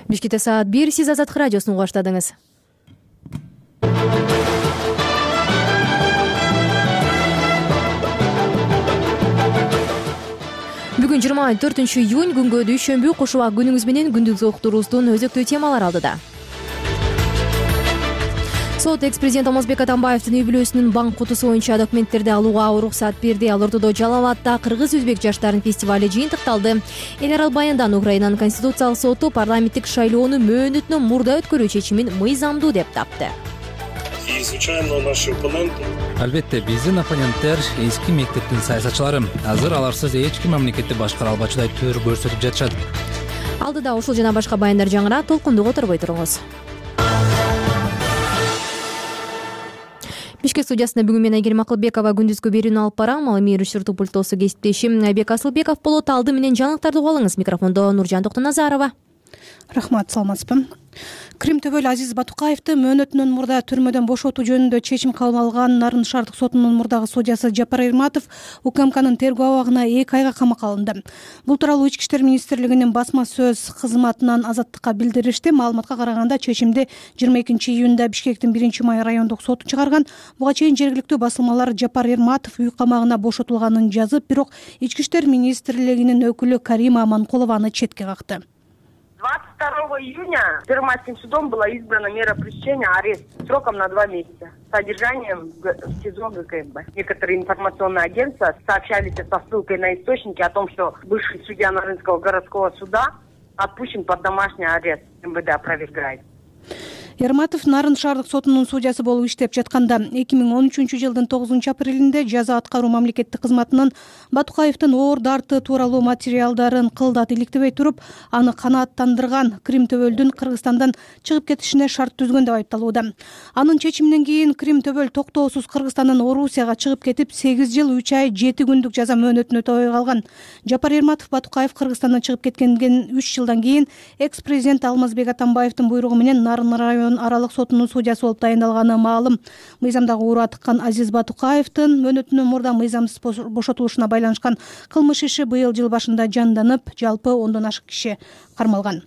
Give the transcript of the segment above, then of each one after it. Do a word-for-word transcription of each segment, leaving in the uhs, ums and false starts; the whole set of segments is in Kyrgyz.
Бишкекте саат бир, сиз Азаттык радиосун угуп баштадыңыз. Бүгүн жыйырма төртүнчү июнь, күнгө дүйшөмбү. Кошуба күнүңүз менен күндүзгү уктуруубуздун өзөктүү темалары алдыда. Сот экс-президент Алмазбек Атамбаевдин үй бүлөсүнүн банк кутусу боюнча документтерди алууга уруксат берди. Ал ортодо Жалал абадда кыргыз-өзбек жаштарынын фестивали жыйынтыкталды. Эл арал баяндан Украинанын конституциялык соту парламенттик шайлоону мөөнөтүнөн мурда өткөрүү чечимин мыйзамдуу деп тапты. И случайно наши оппоненты. Албетте, биздин оппоненттер эски мектептин саясатчылары. Азыр аларсыз эч ким мамлекетти башкара албачудай төр көрсөтүп жатышат. Алдыда ушул жана башка баяндар жаңыраак, толкунду которбой туруңуз. Бишкек студиясында бүгүн мен Айгерим Акылбекова күндүзгү берүүнү алып барам. Ал эми режиссердик пульттосу кесиптешим Айбек Асылбеков болот. Алды менен жаңылыктарды угуп алыңыз. Микрофондо Нуржан Токтоназарова. Рахмат, саламатсызбы. Крим төбөл Азиз Батукаевди мөөнөтүнөн мурда түрмөдөн бошотуу жөнүндө чечим кабыл алган Нарын шаардык сотунун мурдагы судьясы Жапар Эрматов УКМКнын тергөө абагына эки айга камакка алынды. Бул тууралуу Ички иштер министрлигинин басма сөз кызматынан Азаттыкка билдиришти. Маалыматка караганда чечимди жыйырма экинчи июнда Бишкектин биринчи май райондук соту чыгарган. Буга чейин жергиликтүү басылмалар Жапар Эрматов үй камагына бошотулганын жазып, бирок Ички иштер министрлигинин өкүлү Карима Аманкулованы четке какты. двадцать второго июня Первомайским судом была избрана мера пресечения арест сроком на два месяца с содержанием в СИЗО ГКМБ. Некоторые информационные агентства сообщали со ссылкой на источники о том, что бывший судья Нарынского городского суда отпущен под домашний арест. МВД опровергает. Эрматов Нарын шаардык сотунун судьясы болуп иштеп жатканда эки миң он үчүнчү жылдын тогузунчу апрелинде жаза аткаруу мамлекеттик кызматынын Батукаевдин оор дарты тууралуу материалдарын кылдат иликтебей туруп, аны канааттандырган Крим төбөлдүн Кыргызстандан чыгып кетишине шарт түзгөн деп айыпталууда. Анын чечиминен кийин Крим төбөл токтоосуз Кыргызстандан Орусияга чыгып кетип, сегиз жыл үч ай жети күндүк жаза мөөнөтүн өтөбөй калган. Жапар Эрматов Батукаев Кыргызстандан чыгып кеткенден үч жылдан кийин экс-президент Алмазбек Атамбаевдин буйругу менен Нарын район аралык сотунун судьясы болуп дайындалганы маалым. Мыйзамдагы ууруга тыккан Азиз Батукаевдин мөөнөтүнөн мурда мыйзамсыз бошотулушуна байланышкан кылмыш иши быйыл жыл башында жанданып, жалпы ондон ашык киши кармалган.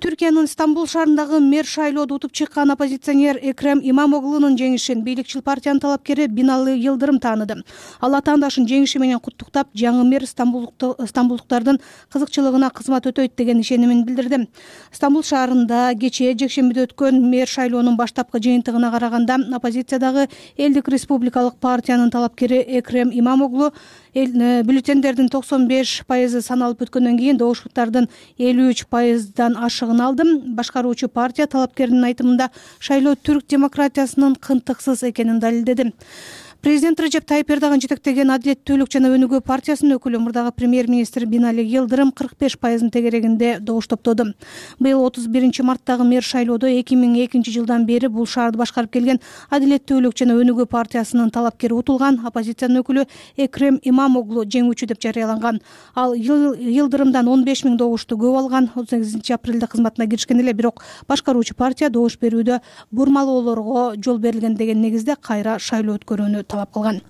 Түркиянын Стамбул шаарындагы мэр шайлоодо утуп чыккан оппозиционер Экрем Имамоглунун жеңишин бийликчил партиянын талапкери Бинали Йылдырым тааныды. Ал атаандашын жеңиши менен куттуктап, жаңы мэр стамбулдуктардын кызыкчылыгына кызмат өтөйт деген ишенимин билдирди. Стамбул шаарында кечээ жекшембиде өткөн мэр шайлоонун баштапкы жыйынтыгына караганда оппозициядагы Элдик республикалык партиянын талапкери Экрем Имамоглу бюллетендердин токсон беш пайызы саналып өткөндөн кийин добуштардын элүү үч пайыздан ашыгын алды. Башкаруучу партия талапкердин айтымында шайлоо түрк демократиясынын кынтыксыз экенин далилдеди. Президент Режеп Тайып Эрдоган жетектеген Адилеттүүлүк жана Өнүгүү партиясынын өкүлү мурдагы премьер-министр Бинали Йылдырым кырк беш пайыздын тегерегинде добуш топтоду. Быйыл отуз биринчи марттагы мэр шайлоодо эки миң экинчи жылдан бери бул шаарды башкарып келген Адилеттүүлүк жана Өнүгүү партиясынын талапкери утулган оппозициянын өкүлү Экрем Имамоглу жеңүүчү деп жарыяланган. Ал Йылдырымдан он беш миң добушту көп алган. отуз сегизинчи апрелде кызматына киришкен эле, бирок башкаруучу партия добуш берүүдө бурмалоолорго жол берилген деген негизде кайра шайлоо өткөрүүнү талап кылган.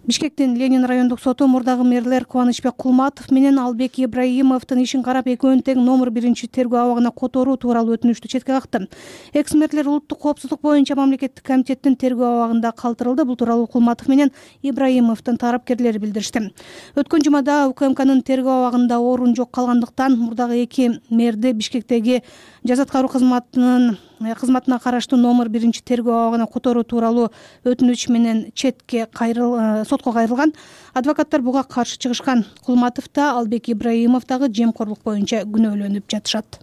Бишкектин Ленин райондук соту мурдагы мэрлер Кубанычбек Кулматов менен Албек Ибраимовдун ишин карап, экөөнүн тең номер биринчи тергөө абагына которуу тууралуу өтүнүштү четке какты. Экс-мэрлер улуттук коопсуздук боюнча мамлекеттик комитеттин тергөө абагында калтырылды. Бул тууралуу Кулматов менен Ибраимовдун тарапкерлери билдиришти. Өткөн жумада УКМКнын тергөө абагында орун жок калгандыктан мурдагы эки мэрди Бишкектеги жаза аткаруу кызматынын кызматына караштуу номер биринчи тергөө абагына которуу тууралуу өтүнүч менен четке кайрыл сотко кайрылган. Адвокаттар буга каршы чыгышкан. Кулматов да, Албек Ибраимов дагы жемкорлук боюнча күнөөлөнүп жатышат.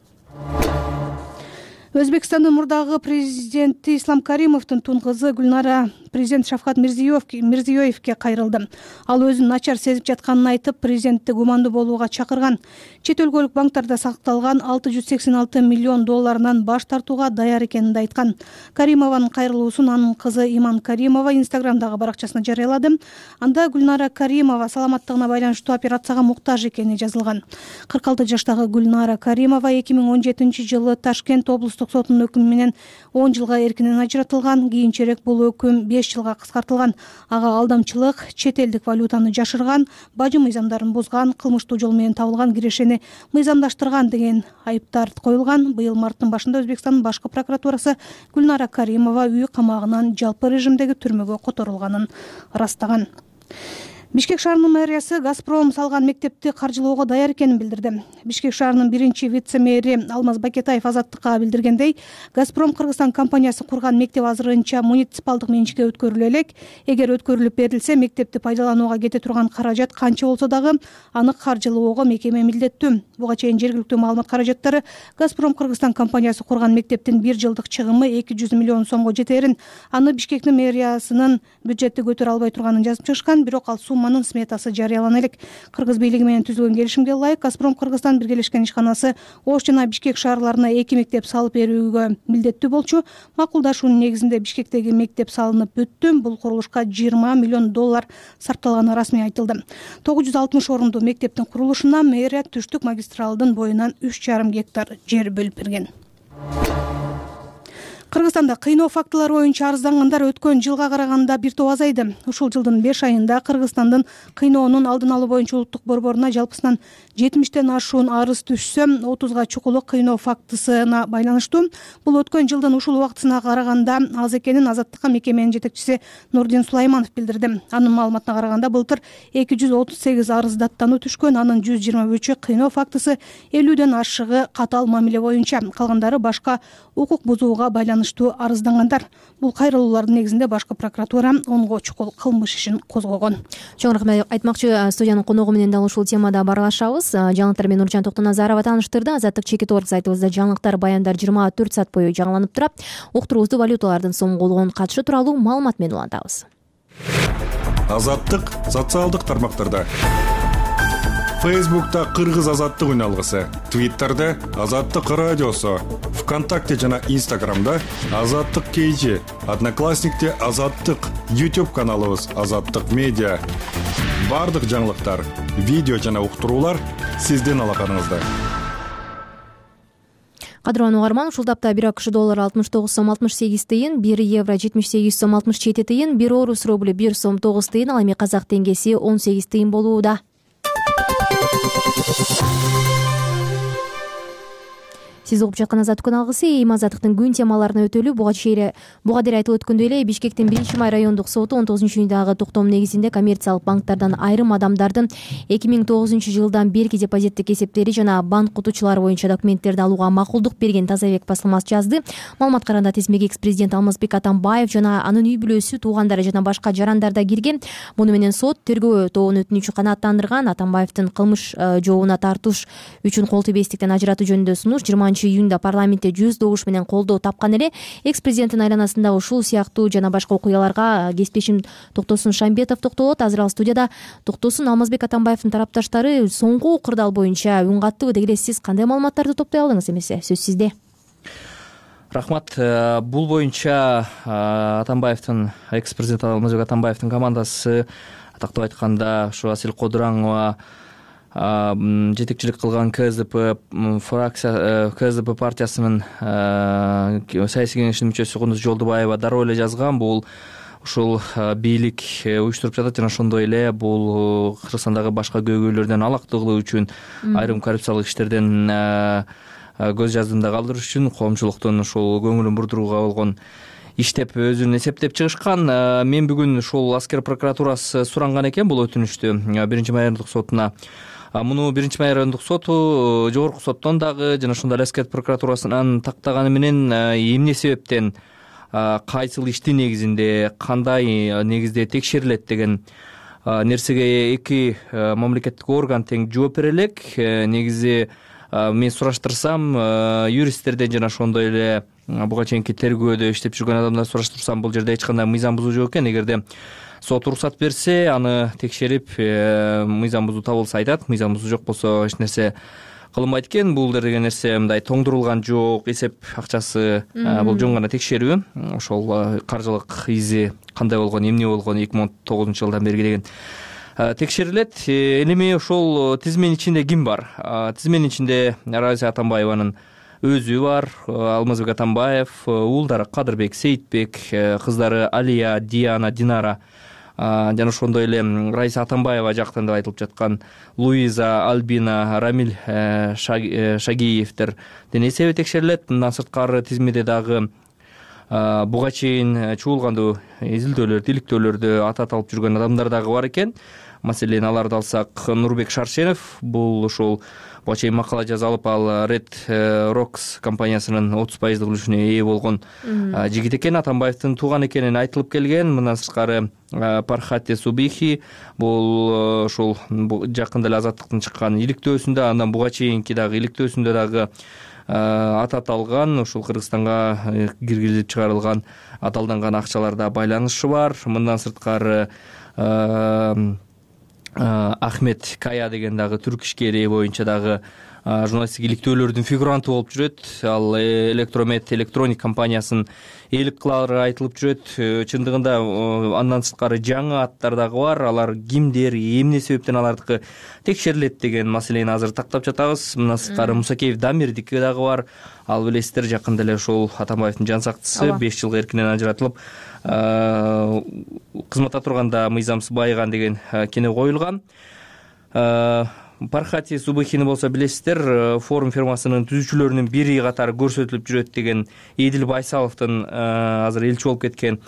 Өзбекстандын мурдагы президенти Ислам Каримовдун тун кызы Гүлнара президент Шавкат Мирзиёевке кайрылды. Ал өзүн начар сезип жатканын айтып, президентти гумандуу болууга чакырган. Чет өлкөлүк банктарда сакталган алты жүз сексен алты миллион долларынан баш тартууга даяр экенин айткан. Каримованын кайрылуусун анын кызы Иман Каримова Инстаграмдагы баракчасына жарыялады. Анда Гүлнара Каримова саламаттыгына байланыштуу операцияга муктаж экени жазылган. кырк алты жаштагы Гүлнара Каримова эки миң он жетинчи жылы Ташкент облустук шаардык сотунун өкүмү менен он жылга эркинен ажыратылган. Кийинчерээк бул өкүм беш жылга кыскартылган. Ага алдамчылык, чет элдик валютаны жашырган, бажы мыйзамдарын бузган, кылмыштуу жол менен табылган кирешени мыйзамдаштырган деген айыптар коюлган. Быйыл марттын башында Өзбекстандын башкы прокуратурасы Гүлнара Каримова үй камагынан жалпы режимдеги түрмөгө которулганын ырастаган. Бишкек шаарынын мэриясы «Газпром» салган мектепти каржылоого даяр экенин билдирди. Бишкек шаарынын биринчи вице-мэри Алмаз Бакетаев Азаттыкка билдиргендей, «Газпром» Кыргызстан компаниясы курган мектеп азырынча муниципалдык менчикке өткөрүлө элек. Эгер өткөрүлүп берилсе, мектепти пайдаланууга кете турган каражат канча болсо дагы аны каржылоого мекеме милдеттүү. Буга чейин жергиликтүү маалымат каражаттары «Газпром» Кыргызстан компаниясы курган мектептин бир жылдык чыгымы эки жүз миллион сомго жетерин, аны Бишкектин мэриясынын бюджетти көтөрө албай турганын жазып чыгышкан, бирок ал сумманын сметасы жарыялана элек. Кыргыз бийлиги менен түзүлгөн келишимге ылайык «Газпром» Кыргызстан биргелешкен ишканасы Ош жана Бишкек шаарларына эки мектеп салып берүүгө милдеттүү болчу. Макулдашуунун негизинде Бишкектеги мектеп салынып бүттү. Бул курулушка жыйырма миллион доллар сарпталганы расмий айтылды. тогуз жүз алтымыш орунду мектептин курулушуна мэрия түштүк магистралдын боюнан үч жарым гектар жер бөлүп берген. Кыргызстанда кыйноо фактылары боюнча арыздангандар өткөн жылга караганда бир топ азайды. Ушул жылдын беш айында Кыргызстандын кыйноонун алдын алуу боюнча улуттук борборуна жалпысынан жетимиштен ашуун арыз түшсө, отузга чукулу кыйноо фактысына байланыштуу. Бул өткөн жылдын ушул убактысына караганда аз экенин Азаттыкка мекеменин жетекчиси Нурдин Сулайманов билдирди. Анын маалыматына караганда былтыр эки жүз отуз сегиз арыз даттануу түшкөн, анын жүз жыйырма үчү кыйноо фактысы, элүүдөн ашыгы катаал мамиле боюнча, калгандары башка укук бузууга байланыштуу арыздангандар. Бул кайрылуулардын негизинде башкы прокуратура онго чукул кылмыш ишин козгогон. Чоң рахмат. Айтмакчы, студиянын коногу менен дал ушул темада баарлашабыз. Жаңылыктар менен Нуржан Токтоназарова тааныштырды. Азаттык чекит орг сайтыбызда жаңылыктар, баяндар жыйырма төрт саат бою жаңыланып турат. Уктуруубузду валюталардын сомголугунун катышы тууралуу маалымат менен улантабыз. Азаттык социалдык тармактарда. Фейсбукта Кыргыз азаттык үналгысы, Твиттерде Азаттык радиосу, ВКонтакте жана Инстаграмда Азаттык кейжи, Одноклассникте Азаттык, YouTube каналыбыз Азаттык медиа. Бардык жаңылыктар, видео жана уктуруулар сиздин алаканыңызда. Кадырлануу угарман, ушул тапта бир АКШ доллары алтымыш тогуз сом алтымыш сегиз тыйын, бир евро жетимиш сегиз сом алтымыш жети тыйын, бир орус рубль бир сом тогуз тыйын, ал эми казак теңгеси он сегиз тыйын болууда. Сиз угуп жаткан Азаттык үналгысы, эми Азаттыктын күн темаларына өтөлү. Буга чейин буга дейин айтылып өткөндөй эле, Бишкектин биринчи май райондук соту он тогузунчу июндагы токтом негизинде коммерциялык банктардан айрым адамдардын эки миң тогузунчу жылдан берки депозиттик эсептери жана банк кутучулары боюнча документтерди алууга макулдук берген Тазабек басылмасы жазды. Маалыматка караганда тизмеге экс-президент Алмазбек Атамбаев жана анын үй бүлөсү, туугандары жана башка жарандар да кирген. Муну менен сот тергөө тобунун өтүнүчү канааттандырган. Атамбаевдин кылмыш жообуна тартууш үчүн кол тийбестиктен ажыратуу жөнүндө сунуш жыйырманчы июнда парламентте жүз добуш менен колдоо тапкан эле. Экс-президенттин айланасында ушул сыяктуу жана башка окуяларга кесиптешим Токтосун Шамбетов токтолот. Азыр ал студияда. Токтосун, Алмазбек Атамбаевдин тарапташтары соңку кырдаал боюнча үн каттыбы деги, сиз кандай маалыматтарды топтой алдыңыз? Эмесе сөз сизде. Рахмат. Бул боюнча Атамбаевдин, экс-президент Алмазбек Атамбаевдин командасы, атактап айтканда ушу Асил Кодураңова жетекчилик кылган КСДП фракция КСДП партиясынын саясий кеңешинин мүчөсү Кундуз Жолдубаева дароо эле жазган. Бул ушул бийлик уюштуруп жатат жана ошондой эле бул Кыргызстандагы башка көйгөйлөрдөн алакты кылуу үчүн, айрым коррупциялык иштерден көз жаздымда калтырыш үчүн коомчулуктун ушул көңүлүн бурдурууга болгон иш деп өзүн эсептеп чыгышкан. Мен бүгүн ушул аскер прокуратурасы суранган экен бул өтүнүчтү биринчи май райондук сотуна. Муну биринчи май райондук соту жогорку соттон дагы жана ошондой эле аскер прокуратурасынан тактаганы менен эмне себептен, кайсыл иштин негизинде, кандай негизде текшерилет деген нерсеге эки мамлекеттик орган тең жооп бере элек. Негизи мен сураштырсам, юристтерден жана ошондой эле буга чейинки тергөөдө иштеп жүргөн адамдар сураштырсам, бул жерде эч кандай мыйзам бузуу жок экен. Эгерде сот уруксат берсе, аны текшерип, мыйзам бузуу табылса айтат, мыйзам бузуу жок болсо эч нерсе кылынбайт экен. Бул деген нерсе мындай тоңдурулган жок, эсеп акчасы, бул жөн гана текшерүү. Ошол каржылык изи кандай болгон, эмне болгон эки миң он тогузунчу жылдан берги деген текшерилет. Эми ошол тизменин ичинде ким бар? Тизменин ичинде Раиса Атамбаеванын өзү бар, Алмазбек Атамбаев, уулдары Кадырбек, Сейитбек, кыздары Алия, Диана, Динара жана ошондой эле Раиса Атамбаева жактан деп айтылып жаткан Луиза, Альбина, Рамиль Шагиевдер дене эсеби текшерилет. Мындан сырткары тизмеде дагы буга чейин чуулгандуу изилдөөлөрдү, иликтөөлөрдү аты аталып жүргөн адамдар дагы бар экен. Маселен, аларды алсак, Нурбек Шаршенов, бул ошол буга чейин макала жаза алып, ал Red Rocks компаниясынын отуз пайыздык үлүшүнө ээ болгон жигит экен, Атамбаевдин тууган экенин айтылып келген. Мындан сырткары Пархати Субихи, бул ошол жакында эле Азаттыктын чыккан иликтөөсүндө, андан буга чейинки дагы иликтөөсүндө дагы аты аталган, ушул Кыргызстанга киргизилип чыгарылган аталданган акчаларда байланышы бар. Мындан сырткары Ахмед Кая деген дагы түрк ишкери боюнча дагы журналисттик иликтөөлөрдүн фигуранты болуп жүрөт. Ал Электромет электроник компаниясын ээлик кылары айтылып жүрөт. Чындыгында андан сырткары жаңы аттар дагы бар. Алар кимдер, эмне себептен алардыкы текшерилет деген маселени азыр тактап жатабыз. Мындан сырткары Мусакеев Дамирдики дагы бар. Ал билесиздер, жакында эле ошол Атамбаевдин жан сактысы беш жылга эркинен ажыратылып, кызматта турганда мыйзамсыз байыган деген кене коюлган. Пархати Субихини болсо билесиздер, форум фирмасынын түзүүчүлөрүнүн бири катары көрсөтүлүп жүрөт деген Эдил Байсаловдун азыр элчи болуп кеткен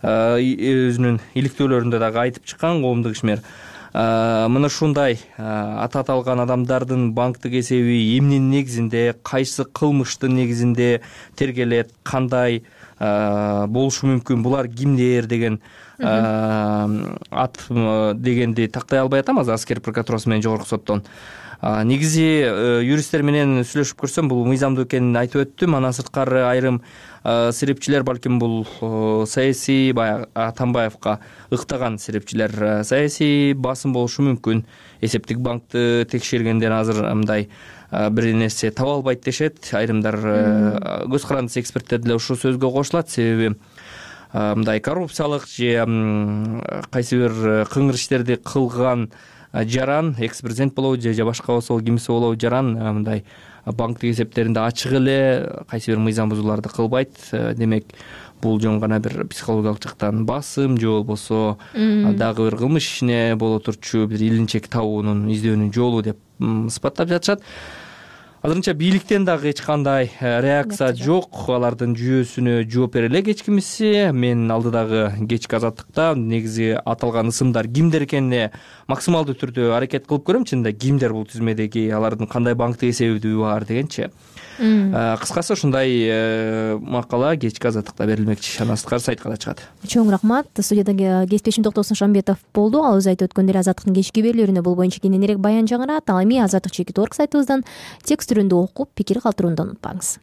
өзүнүн иликтөөлөрүндө дагы айтып чыккан коомдук ишмер. Мына ушундай аты аталган адамдардын банктык эсеби эмненин негизинде, кайсы кылмыштын негизинде тергелет, кандай болушу мүмкүн, булар кимдер деген ат дегенди тактай албай атам азыр аскер прокуратурасы менен жогорку соттон. Негизи юристтер менен сүйлөшүп көрсөм, бул мыйзамдуу экенин айтып өттүм. Андан сырткары айрым серепчилер, балким бул саясий баягы Атамбаевка ыктаган серепчилер, саясий басым болушу мүмкүн. Эсептик банкты текшергенден азыр мындай бир нерсе таба албайт дешет. Айрымдар көз карандысы эксперттер деле ушул сөзгө кошулат. Себеби мындай коррупциялык же кайсы бир кыңыр иштерди кылган жаран, экс-президент болобу же башка болсо кимиси болобу жаран мындай банктык эсептеринде ачык эле кайсы бир мыйзам бузууларды кылбайт. Демек, бул жөн гана бир психологиялык жактан басым же болбосо дагы бир кылмыш ишине боло турчу бир илинчек табуунун, издөөнүн жолу деп сыпаттап жатышат. Азырынча бийликтен дагы эч кандай реакция жок. Алардын жүйөсүнө жооп бере элек эч кимиси. Мен алдыдагы кечки Азаттыкта негизи аталган ысымдар кимдер экенине максималдуу түрдө аракет кылып көрөм. Чынында кимдер бул тизмедеги, алардын кандай банктык эсеби бар дегенчи. Кыскасы ушундай макала кечки Азаттыкта берилмекчи. Андан сырткары сайтка да чыгат. Чоң рахмат. Студиядагы кесиптешим Токтосун Шамбетов болду. Ал өзү айтып өткөндөй Азаттыктын кечки берүүлөрүнө бул боюнча кененирээк баян жаңырат. Ал эми азаттык чекит точка орг сайтыбыздан текст түрүндө окуп, пикир калтырууну унутпаңыз.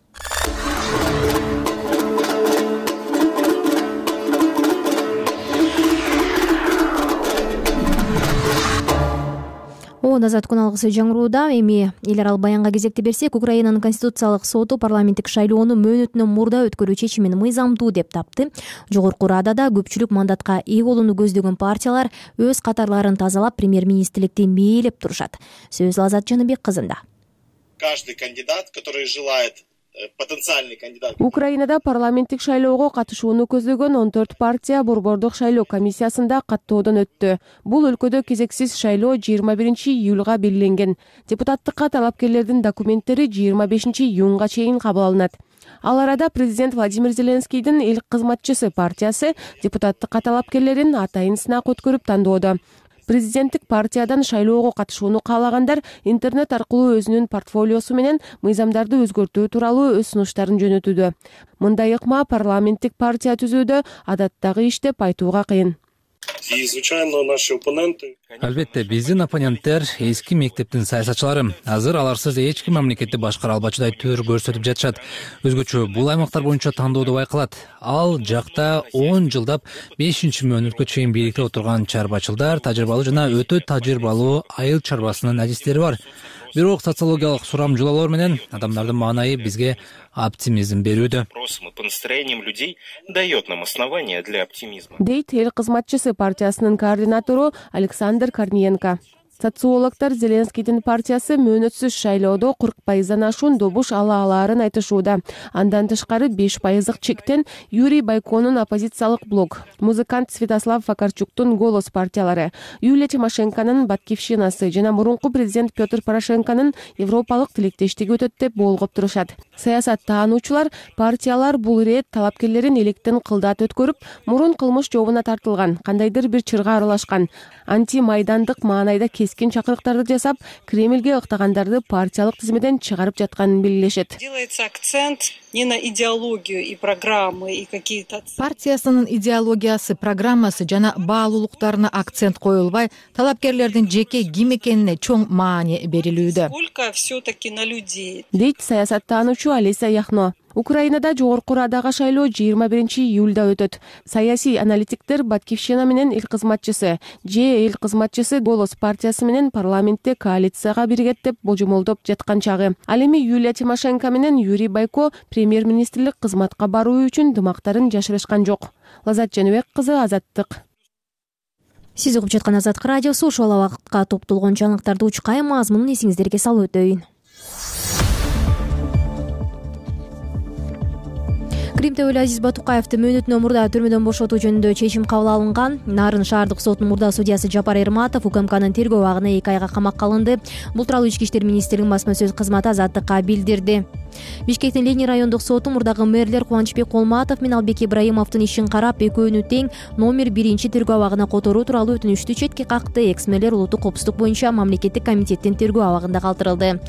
О, Азат күн алгысы жаңырууда. Эми эл аралык баянга кезекти берсек, Украинанын Конституциялык соту парламенттик шайлоону мөөнөтүнөн мурда өткөрүү чечимин мыйзамдуу деп тапты. Жогорку Радада көпчүлүк мандатка ээ болууну көздөгөн партиялар өз катарларын тазалап, премьер-министрликти мээлеп турушат. Сөз Азат Жаныбек кызында. Каждый кандидат, который желает, потенциальный кандидат. Украинада парламенттик шайлоого катышууну көздөгөн он төрт партия борбордук шайлоо комиссиясында каттоодон өттү. Бул өлкөдө кезексиз шайлоо жыйырма биринчи июлга белгиленген. Депутаттыкка талапкерлердин документтери жыйырма бешинчи июнга чейин кабыл алынат. Ал арада президент Владимир Зеленскийдин эл кызматчысы партиясы депутаттыкка талапкерлерин атайын сынак өткөрүп тандоодо. Президенттик партиядан шайлоого катышууну каалагандар интернет аркылуу өзүнүн портфолиосу менен мыйзамдарды өзгөртүү тууралуу өз сунуштарын жөнөтүүдө. Мындай ыкма парламенттик партия түзүүдө адаттагы иш деп айтууга кыйын. И, звичайно, наши оппоненты. Албетте, биздин оппоненттер эски мектептин саясатчылары. Азыр аларсыз эч ким мамлекетти башкара албачудай төр көрсөтүп жатышат. Өзгөчө бул аймактар боюнча тандоодо байкалат. Ал жакта он жылдап бешинчи мөөнөткө чейин бийликте отурган чарбачылдар, тажрыйбалуу жана өтө тажрыйбалуу айыл чарбасынын адистери бар. Бирок социологиялык сурамжылоолор менен адамдардын маанайы бизге оптимизм берүүдө. По настроениям людей дает нам основания для оптимизма. Дейт эл кызматчысы партиясынын координатору Александр Корниенко. Социологдор Зеленскийдин партиясы мөөнөтсүз шайлоодо кырк пайыздан ашуун добуш ала алаарын айтышууда. Андан тышкары беш пайыздык чектен Юрий Байконун оппозициялык блок, музыкант Святослав Вакарчуктун Голос партиялары, Юлия Тимошенконун Батькивщинасы жана мурунку президент Петр Порошенконун европалык тилектештиги өтөт деп болгоп турушат. Саясат таануучулар партиялар бул ирет талапкерлерин электен кылдат өткөрүп, мурун кылмыш жообуна тартылган, кандайдыр бир чырга аралашкан, анти-майдандык маанайда кескин чакырыктарды жасап, Кремльге ыктагандарды партиялык тизмеден чыгарып жатканын белгилешет. Делается акцент не на идеологию и программы и какие-то партиясынын идеологиясы, программасы жана баалуулуктарына акцент коюлбай, талапкерлердин жеке ким экенине чоң маани берилүүдө. Сколько все-таки на людей. Дейт саясаттануучу Алиса Яхно. Украинада жогорку Радага шайлоо жыйырма биринчи июлда өтөт. Саясий аналитиктер Батькивщина менен эл кызматчысы, же эл кызматчысы Голос партиясы менен парламентте коалицияга биригет деп божомолдоп жаткан чагы. Ал эми Юлия Тимошенко менен Юрий Байко премьер-министрлик кызматка баруу үчүн дымактарын жашырышкан жок. Лазат Женебек кызы, Азаттык. Сиз угуп жаткан Азаттык радиосу, ушул убакытка топтолгон жаңылыктарды учкай мазмунун эсиңиздерге салып өтөйүн. Кримде Азиз Батукаевди мөөнөтүнөн мурда түрмөдөн бошотуу жөнүндө чечим кабыл алынган. Нарын шаардык сотунун мурда судьясы Жапар Эрматов УКМКнын тергөө абагына эки айга камакка алынды. Бул тууралуу Ички иштер министрлигинин басма сөз кызматы Азаттыкка билдирди. Бишкектин Ленин райондук соту мурдагы мэрлер Кубанычбек Колматов менен Албек Ибраимовдун ишин карап, экөөнү тең номер биринчи тергөө абагына которуу тууралуу өтүнүштү четке какты. Экс-мэрлер улуттук коопсуздук боюнча мамлекеттик комитеттин тергөө абагында калтырылды.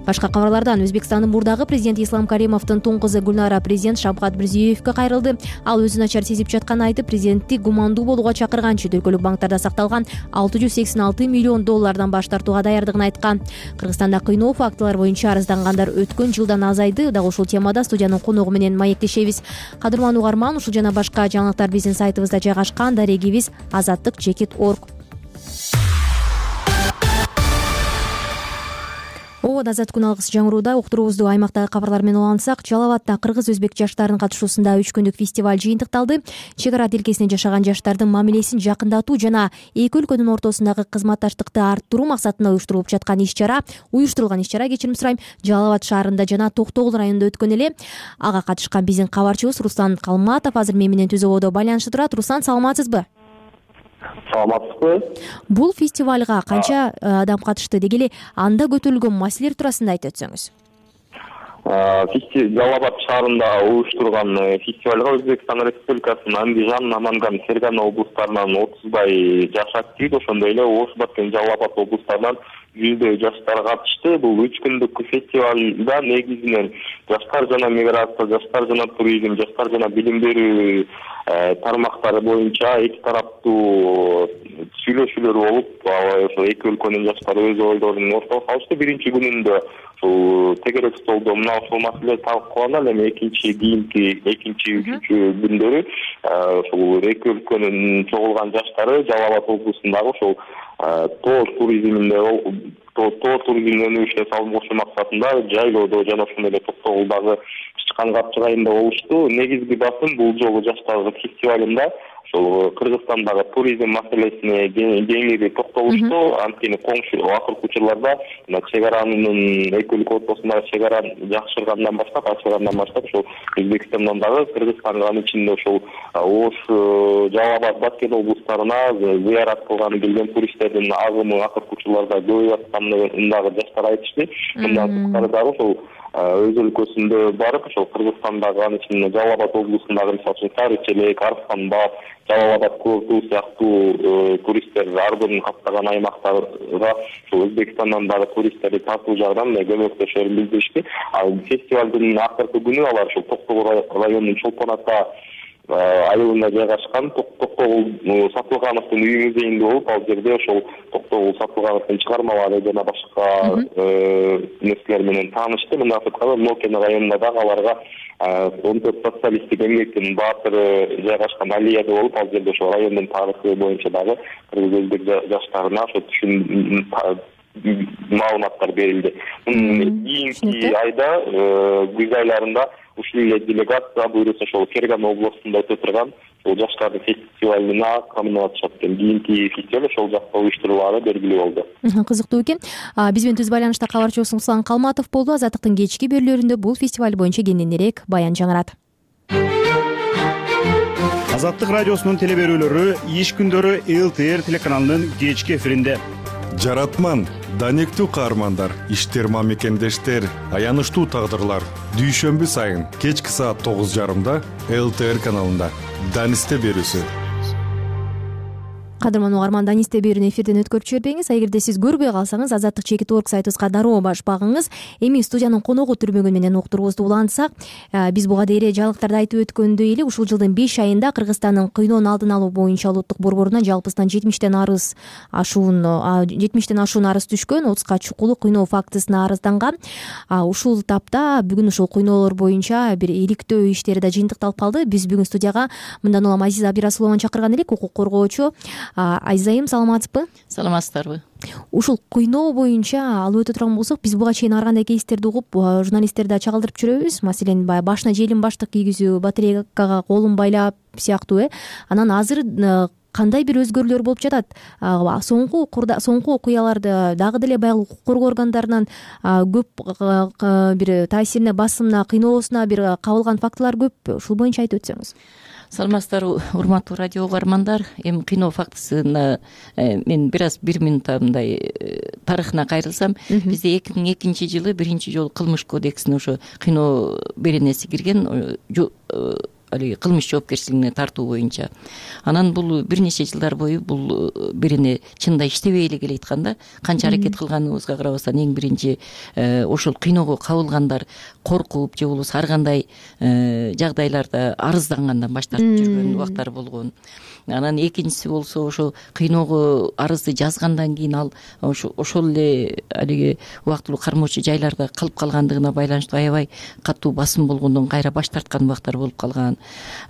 Башка кабарлардан Өзбекстандын мурдагы президенти Ислам Каримовдун тун кызы Гүлнара президент Шавкат Мирзиёевге кайрылды. Ал өзүн начар сезип жатканын айтып, президентти гумандуу болууга чакырган, чет өлкөлүк банктарда сакталган алты жүз сексен алты миллион доллардан баш тартууга даярдыгын айткан. Кыргызстанда кыйноо фактылар боюнча арыздангандар өткөн жылдан азайды. Дагы ушул темада студиянын коногу менен маектешебиз. Кадырман угарман, ушул жана башка жаңылыктар биздин сайтыбызда жайгашкан. Дарегибиз азаттык чекит точка орг. Обод азат күн алгыс жаңырууда уктуруубузду аймактагы кабарлар менен улантсак, Жалал Абадта кыргыз-өзбек жаштарынын катышуусунда үч күндүк фестиваль жыйынтыкталды. Чек ара тилкесинде жашаган жаштардын мамилесин жакындатуу жана эки өлкөнүн ортосундагы кызматташтыкты арттыруу максатында уюштурулуп жаткан иш-чара, уюштурулган иш-чара кечирим сурайм, Жалал Абад шаарында жана Токтогул районунда өткөн эле. Ага катышкан биздин кабарчыбыз Руслан Калматов азыр мен менен түз ободо байланышта турат. Руслан, саламатсызбы? Саламатсызбы? Бул фестивалга канча адам катышты, деги эле анда көтөрүлгөн маселелер туурасында айтып өтсөңүз. Жалал Абад шаарында уюштурган фестивалга Өзбекстан Республикасынын Андижан, Наманган, Фергана облустарынан отуздай жаш актив, ошондой эле Ош Бат жана Жалал Абад облустарынан жүздөй жаштар катышты. Бул үч күндүк фестивалда негизинен жаштар жана миграция, жаштар жана туризм, жаштар жана билим берүү тармактары боюнча эки тараптуу сүйлөшүүлөр болуп, ошо эки өлкөнүн жаштары өз ойлорун ортого салышты. Биринчи күнүндө ушул тегерек столдо мына ушул маселе талкууланат, эми экинчи кийинки экинчи үчүнчү күндөрү ушул эки өлкөнүн чогулган жаштары Жалал Абад облусундагы ушул тоо туризминде тоо туризмин өнүгүшүнө салым кошуу максатында жайлоодо жана ошондой эле Токтогулдагы чыккан капчык айында болушту. Негизги басым бул жолу жаштардын фестивалында ошол Кыргызстандагы туризм маселесине кеңири токтолушту. Анткени коңшу акыркы учурларда чек аранын эки өлкө ортосундагы чек ара жакшыргандан баштап, ачылгандан баштап ошол Өзбекстандан дагы Кыргызстанга, анын ичинде ошол Ош, Жалал Абад, Баткен облустарына зыярат кылганы келген туристтердин агымы акыркы учурларда көбөйүп атканын дагы жаштар айтышты. Мындан тышкары дагы ошол өз өлкөсүндө барып, ошол Кыргызстандагы, анын ичинде Жалал Абад облусундагы мисалы үчүн Сарычелек, Арыстанбаб, Жалал Абад курорту сыяктуу туристтер ардын каптаган аймактарга ошол Өзбекстандан дагы туристтерди тартуу жагынан көмөктөшөрүн билдиришти. Ал фестивалдын акыркы күнү алар ошол Токтогул районунун Чолпон Ата айылында жайгашкан Токтогул Сатылгановдун үйү музейинде болуп, ал жерде ошол Токтогул Сатылгановдун чыгармалары жана башка нерселер менен таанышты. Мындан сырткары Нокен районунда дагы аларга он төрт социалисттик эмгектин баатыры жайгашкан аллеяда болуп, ал жерде ошол райондун тарыхы боюнча дагы кыргыз-өзбек жаштарына ошо түшүн маалыматтар берилди. Кийинки айда күз айларында ушул эле делегация буюрса ошол Фергана областунда өтө турган ошол жаштардын фестивалына камынатышат экен. Кийинки фестиваль ошол жакта уюштурулары белгилүү болду. Кызыктуу экен. Биз менен түз байланышта кабарчыбыз Руслан Калматов болду. Азаттыктын кечки берүүлөрүндө бул фестиваль боюнча кененирээк баян жаңырат. Азаттык радиосунун теле берүүлөрү иш күндөрү эл ти эр телеканалынын кечки эфиринде. Жаратман, данектүү каармандар, иштер мамекендештер, аянычтуу тагдырлар. Дүйшөмбү сайын кечки саат тогуз жарымда эл ти эр каналында Данисте берүүсү. Кадырман угарман, Данисте берүүнү эфирден өткөрүп жибербеңиз. Эгерде сиз көрбөй калсаңыз, Азаттык чекит орг сайтыбызга дароо баш багыңыз. Эми студиянын коногу түрмөгүн менен уктуруубузду улантсак, биз буга дейре жаңылыктарда айтып өткөндөй эле ушул жылдын беш айында Кыргызстандын кыйноонун алдын алуу боюнча улуттук борборуна жалпысынан жетимиштен арыз ашуун жетимиштен ашуун арыз түшкөн, отузга чукулуу кыйноо фактысына арызданган. Ушул тапта бүгүн ушул кыйноолор боюнча бир иликтөө иштери да жыйынтыкталып калды. Биз бүгүн студияга мындан улам Азиза Абирасулованы чакырган элек, укук коргоочу. Айзайым, саламатсызбы? Саламатсыздарбы? Ушул кыйноо боюнча алып өтө турган болсок, биз буга чейин ар кандай кейстерди угуп, журналисттерди чагылдырып жүрөбүз. Маселен, баягы башына желим баштык кийгизүү, батарейкага колун байлап сыяктуу э. Анан азыр кандай бир өзгөрүүлөр болуп жатат? Соңку соңку окуяларды дагы деле баягы укук коргоо органдарынан көп бир таасирине, басымына, кыйноосуна бир кабылган фактылар көп. Ушул боюнча айтып өтсөңүз. Саламатсыздарбы, урматтуу радио угармандар. Эми кыйноо фактысына мен бир аз бир минутта мындай тарыхына кайрылсам, бизде эки миң экинчи жылы биринчи жолу кылмыш кодексине ошо кыйноо беренеси кирген, алиги кылмыш жоопкерчилигине тартуу боюнча. Анан бул бир нече жылдар бою бул бирине чынында иштебей эле келейаткан да. Канча аракет кылганыбызга карабастан эң биринчи ошол кыйноого кабылгандар коркуп же болбосо ар кандай жагдайларда арыздангандан баш тартып жүргөн убактар болгон. Анан экинчиси болсо ошо кыйноого арызды жазгандан кийин ал ошол эле алиги убактылуу кармоочу жайларда калып калгандыгына байланыштуу аябай катуу басым болгондон кайра баш тарткан убактар болуп калган.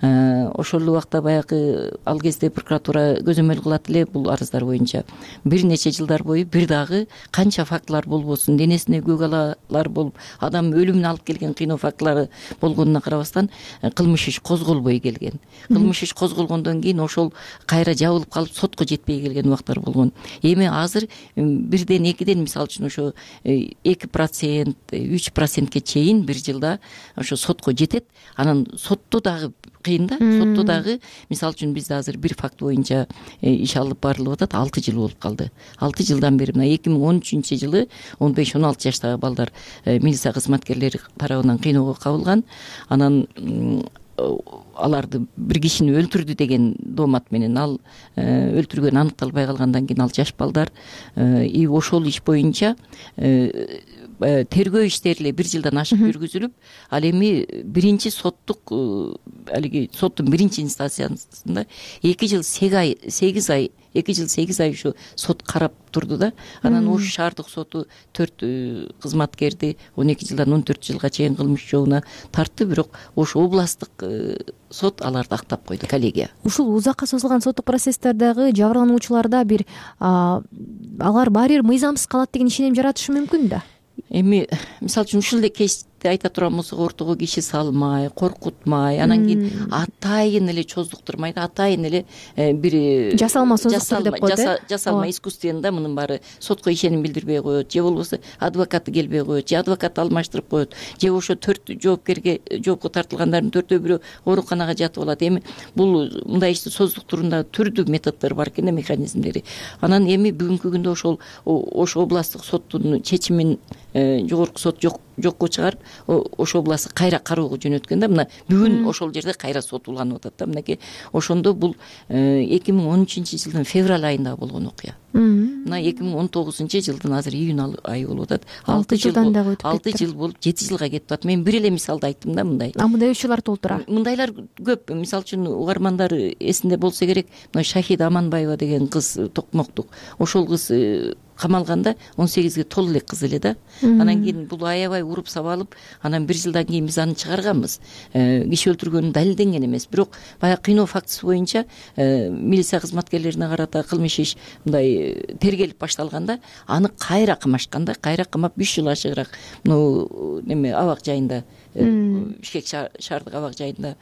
Ошол убакта баягы ал кезде прокуратура көзөмөл кылат эле бул арыздар боюнча. Бир нече жылдар бою бир дагы канча фактылар болбосун, денесине көк алалар болуп, адам өлүмүнө алып келген кыйноо фактылары болгонуна карабастан кылмыш иш козголбой келген. Кылмыш иш козголгондон кийин ошол кайра жабылып калып сотко жетпей келген убактар болгон. Эми азыр бирден экиден мисалы үчүн ошо эки процент, үч процентке чейин бир жылда ошо сотко жетет. Анан сотто дагы кыйын да, сотто дагы мисалы үчүн бизде азыр бир факт боюнча иш алып барылып атат, алты жыл болуп калды. алты жылдан бери мына эки миң он үчүнчү жылы он беш он алты жаштагы балдар милиция кызматкерлери тарабынан кыйноого кабылган. Анан аларды бир кишини өлтүрдү деген доомат менен ал өлтүргөнү аныкталбай калгандан кийин ал жаш балдар и ошол иш боюнча тергөө иштери эле бир жылдан ашык жүргүзүлүп, ал эми биринчи соттук алиги соттун биринчи инстанциясында эки жыл сегиз ай эки жыл сегиз ай ушу сот карап турду да. Анан Ош шаардык соту төрт кызматкерди он эки жылдан он төрт жылга чейин кылмыш жообуна тартты, бирок Ош областтык сот аларды актап койду, коллегия. Ушул узакка созулган соттук процесстердагы жабырлануучуларда бир алар баары бир мыйзамсыз калат деген ишеним жаратышы мүмкүн да. Эми мисалы үчүн ушул эле кейсти айта турган болсок, ортого киши салмай, коркутмай, анан кийин атайын эле чоздуктурмай да, атайын эле бир жасалма создуктур деп коет э. Жасалма искусственно мынын баары сотко ишеним билдирбей коет, же болбосо адвокаты келбей коет, же адвокат алмаштырып коет, же ошо төрт жоопкерге жоопко тартылгандардын төртөө бирөө ооруканага жатып алат. Эми бул мындай ишти создуктурунда түрдүү методдор бар экен да, механизмдери. Анан эми бүгүнкү күндө ошол Ош областтык соттун чечимин жогорку сот жок жокко чыгарып, Ош областы кайра кароого жөнөткөн да. Мына бүгүн ошол жерде кайра сот уланып атат да. Мынакей ошондо бул эки миң он үчүнчү жылдын февраль айында болгон окуя. Мына эки миң он тогузунчу жылдын азыр июнь айы болуп атат. алты жылдан дагы өтүп кетти. алты жыл болуп жети жылга кетип атат. Мен бир эле мисалды айттым да мындай. А мындай учурлар толтура. Мындайлар көп. Мисалы үчүн угармандар эсинде болсо керек, мына Шахида Аманбаева деген кыз Токмоктук. Ошол кыз камалганда он сегизге толо элек кыз эле да. Анан кийин бул аябай уруп сабалып, анан бир жылдан кийин биз аны чыгарганбыз. Киши өлтүргөнү далилденген эмес, бирок баягы кыйноо фактысы боюнча милиция кызматкерлерине карата кылмыш иш мындай тергелип башталганда, аны кайра камашканда, кайра камап үч жыл ашыгыраак ну неме абак жайында Бишкек шаардык абак жайында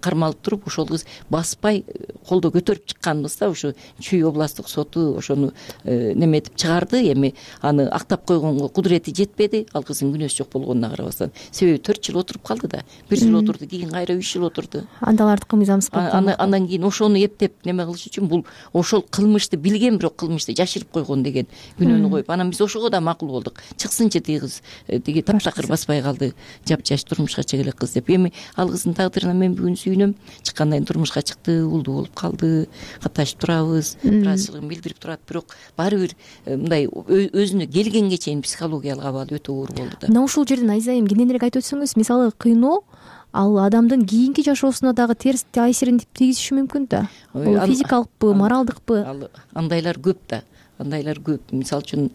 кармалып туруп, ошол кыз баспай колдо көтөрүп чыкканбыз да. Ошо Чүй областтык соту ошону неметип чыгарды. Эми аны актап койгонго кудурети жетпеди. Ал кыздын күнөөсү жок болгонуна карабастан. Себеби төрт жыл отуруп калды да. Бир жыл отурду, кийин кайра үч жыл отурду. Андалардыкы мыйзамсыз кылып. Андан кийин ошону эптеп неме кылыш үчүн бул ошол кылмышты билген, бирок кылмышты жашырып койгон деген күнөөнү коюп, анан биз ошого да макул болдук. Чыксынчы тиги кыз, тиги таптакыр баспай калды, жапжаш турмушка чыга элек кыз деп. Эми ал кыздын тагдырына мен бүгүн сүйүнөм. Чыккандан кийин турмушка чыкты, улдуу болуп калды, катташып турабыз, ыраазычылыгын билдирип турат, бирок баары бир мындай өзүнө келгенге чейин психологиялык абалы өтө оор болду да. Мына ушул жерден Айзайым кененирээк айтып өтсөңүз, мисалы кыйноо ал адамдын кийинки жашоосуна дагы терс таасирин тийгизиши мүмкүн да. Бул физикалыкпы, моралдыкпы? Андайлар көп да. Андайлар көп. Мисалы үчүн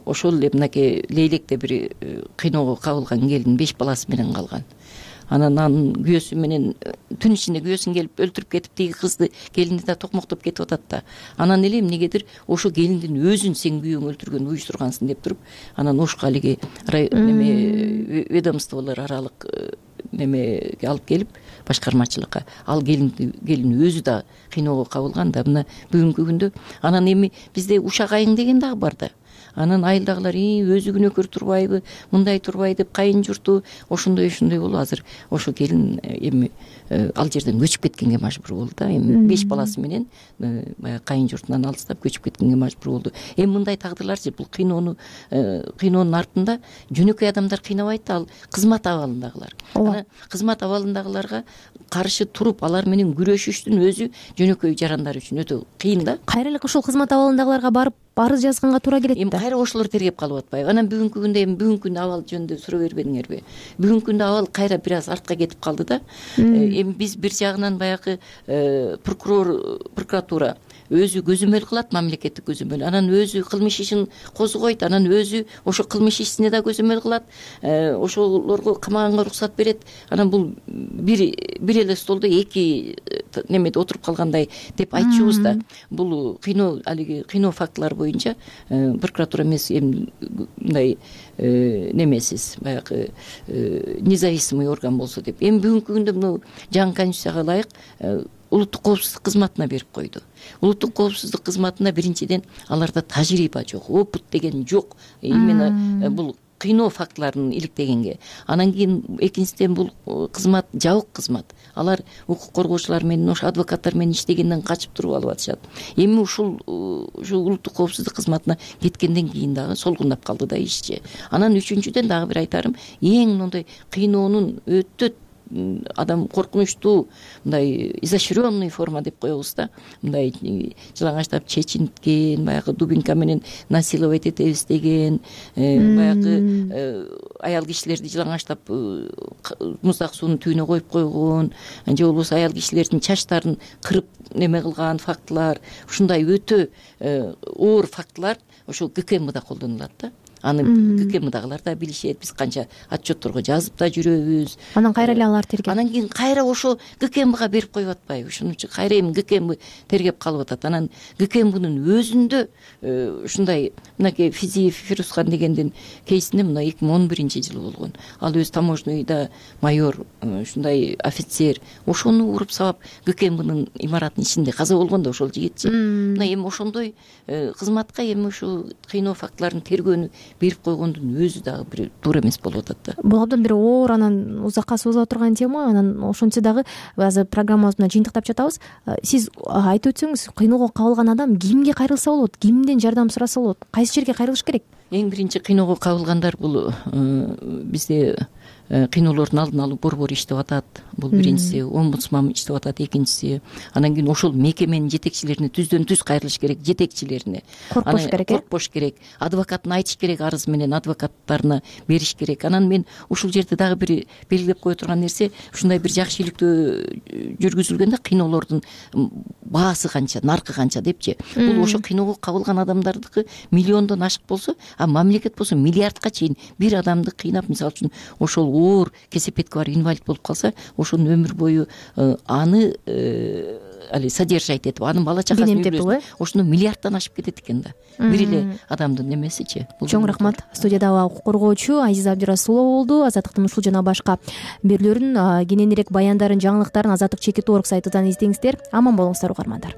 ошол эле мынакей Лейлекте бир кыйноого кабылган келин беш баласы менен калган. Анан анын күйөөсү менен түн ичинде күйөөсүн келип өлтүрүп кетип, тиги кызды, келинди да токмоктоп кетип атат да. Анан эле эмнегедир ошо келиндин өзүн сен күйөөң өлтүргөн, уюштургансың деп туруп, анан ошко алиги неме ведомстволор аралык немеге алып келип, башкармачылыкка ал келинди келин өзү да кыйноого кабылган да. Мына бүгүнкү күндө анан эми бизде ушак айың деген дагы бар да. Анан айылдагылар өзү күнөөкөр турбайбы, мындай турбай деп кайын журту ошондой ошондой болуп азыр ошо келин эми ал жерден көчүп кеткенге мажбур болду да. Эми беш баласы менен баягы кайын журтунан алыстап көчүп кеткенге мажбур болду. Эми мындай тагдырларчы, бул кыйноону кыйноонун артында жөнөкөй адамдар кыйнабайт да, ал кызмат абалындагылар. Анан кызмат абалындагыларга каршы туруп алар менен күрөшүштүн өзү жөнөкөй жарандар үчүн өтө кыйын да. Кайра эле ошол кызмат абалындагыларга барып арыз жазганга туура келет да. Эми кайра ошолор тергеп калып атпайбы? Анан бүгүнкү күндө эми бүгүнкү күндө абал жөнүндө суроо бербедиңерби? Бүгүнкү күндө абал кайра бир аз артка кетип калды да. Эми биз бир жагынан баягы прокурор, прокуратура өзү көзөмөл кылат, мамлекеттик көзөмөл. Анан өзү кылмыш ишин козгойт, анан өзү ошо кылмыш ишине да көзөмөл кылат, ошолорго камаганга уруксат берет. Анан бул бир бир эле столдо эки немеде отуруп калгандай деп айтчубуз да. Бул кыйноо, алиги кыйноо фактылары боюнча прокуратура эмес, эми мындай немесиз, баягы независимый орган болсо деп. Эми бүгүнкү күндө мына жаңы конституцияга ылайык улуттук коопсуздук кызматына берип койду. Улуттук коопсуздук кызматына биринчиден аларда тажрыйба жок, опыт деген жок. Именно бул кыйноо фактыларын иликтегенге. Анан кийин экинчиден бул кызмат жабык кызмат. Алар укук коргоочулар менен, ошо адвокаттар менен иштегенден качып туруп алып атышат. Эми ушул ушул улуттук коопсуздук кызматына кеткенден кийин дагы солгундап калды да ишчи. Анан үчүнчүдөн дагы бир айтарым, эң мындай кыйноонун өтө адам коркунучтуу, мындай изощренный форма деп коебуз да. Мындай жылаңачтап чечинткен, баягы дубинка менен насиловать этебиз деген, баягы аял кишилерди жылаңачтап муздак суунун түбүнө коюп койгон, же болбосо аял кишилердин чачтарын кырып неме кылган фактылар, ушундай өтө оор фактылар ошол ГКМда колдонулат да. Аны ГКМдагылар да билишет, биз канча отчетторго жазып да жүрөбүз. Анан кайра эле алар тергеп. Анан кийин кайра ошо ГКМга берип коюп атпайбы? Ошон үчүн кайра эми ГКМ тергеп калып атат. Анан ГКМнын өзүндө ушундай мынакей Физиев Фирузхан дегендин кейсинде мына эки миң он биринчи жылы болгон. Ал өзү таможныйда майор, ушундай офицер, ошону уруп сабап ГКМнын имараттын ичинде каза болгон да ошол жигитчи. Мына эми ошондой кызматка эми ушу кыйноо фактыларын тергөөнү берип койгондун өзү дагы бир туура эмес болуп атат да. Бул абдан бир оор, анан узакка созула турган тема. Анан ошентсе дагы азыр программабызды жыйынтыктап жатабыз. Сиз айтып өтсөңүз, кыйноого кабылган адам кимге кайрылса болот, кимден жардам сураса болот, кайсы жерге кайрылыш керек? Эң биринчи кыйноого кабылгандар бул бизде кыйноолордун алдын алуу борбору иштеп атат. Бул биринчиси, омбудсман иштеп атат, экинчиси. Анан кийин ошол мекеменин жетекчилерине түздөн түз кайрылыш керек, жетекчилерине. Коркпош керек, коркпош керек. Адвокатын айтыш керек, арыз менен адвокаттарына бериш керек. Анан мен ушул жерде дагы бир белгилеп кое турган нерсе, ушундай бир жакшы иликтөө жүргүзүлгөндө кыйноолордун баасы канча, наркы канча депчи. Бул ошо кыйноого кабылган адамдардыкы миллиондон ашык болсо, а мамлекет болсо миллиардка чейин бир адамды кыйнап, мисалы үчүн ошол оор кесепетке бар инвалид болуп калса, ошонун өмүр бою аны али содержать этип анын бала чакасын э ошондо миллиарддан ашып кетет экен да бир эле адамдын немесичи. Чоң рахмат. Студияда укук коргоочу Азиза Абдырасулова болду. Азаттыктын ушул жана башка берүүлөрүн, кененирээк баяндарын, жаңылыктарын Азаттык чекит орг сайтынан издеңиздер. Аман болуңуздар угармандар.